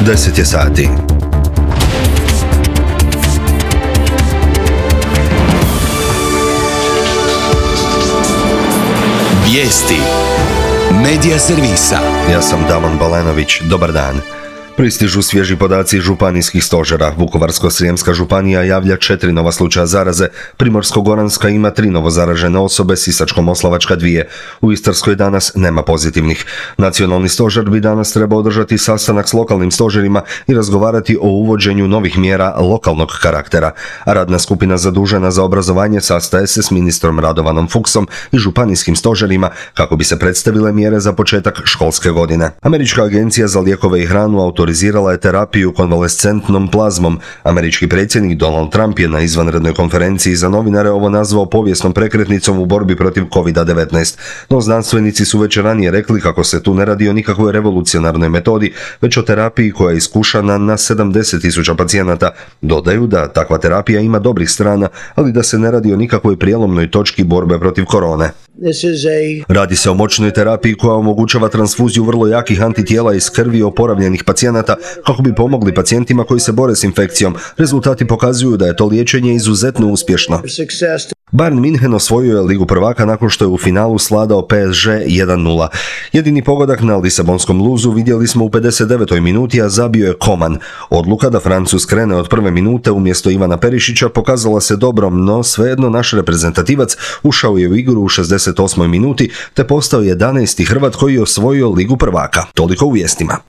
10 je sati. Vijesti Medija servisa. Ja sam Damon Balenović. Dobar dan. Pristižu svježi podaci županijskih stožera. Vukovarsko-srijemska županija javlja 4 nova slučaja zaraze, Primorsko-goranska ima 3 novo zaražene osobe, Sisačko-moslavačka 2. U Istarskoj danas nema pozitivnih. Nacionalni stožer bi danas trebao održati sastanak s lokalnim stožerima i razgovarati o uvođenju novih mjera lokalnog karaktera. A radna skupina zadužena za obrazovanje sastaje se s ministrom Radovanom Fuchsom i županijskim stožerima kako bi se predstavile mjere za početak školske godine. Američka agencija za lijekove i hranu autorizirala je terapiju konvalescentnom plazmom. Američki predsjednik Donald Trump je na izvanrednoj konferenciji za novinare ovo nazvao povijesnom prekretnicom u borbi protiv COVID-19. No znanstvenici su već ranije rekli kako se tu ne radi o nikakvoj revolucionarnoj metodi, već o terapiji koja je iskušana na 70.000 pacijenata. Dodaju da takva terapija ima dobrih strana, ali da se ne radi o nikakvoj prijelomnoj točki borbe protiv korone. Radi se o moćnoj terapiji koja omogućava transfuziju vrlo jakih antitijela iz krvi oporavljenih pacijenata kako bi pomogli pacijentima koji se bore s infekcijom. Rezultati pokazuju da je to liječenje izuzetno uspješno. Bayern München osvojio je Ligu prvaka nakon što je u finalu sladao PSG 1:0. Jedini pogodak na lisabonskom luzu vidjeli smo u 59. minuti, a zabio je Coman. Odluka da Francuz krene od prve minute umjesto Ivana Perišića pokazala se dobrom, no svejedno naš reprezentativac ušao je u igru u 68. minuti te postao 11. Hrvat koji je osvojio Ligu prvaka. Toliko u vijestima.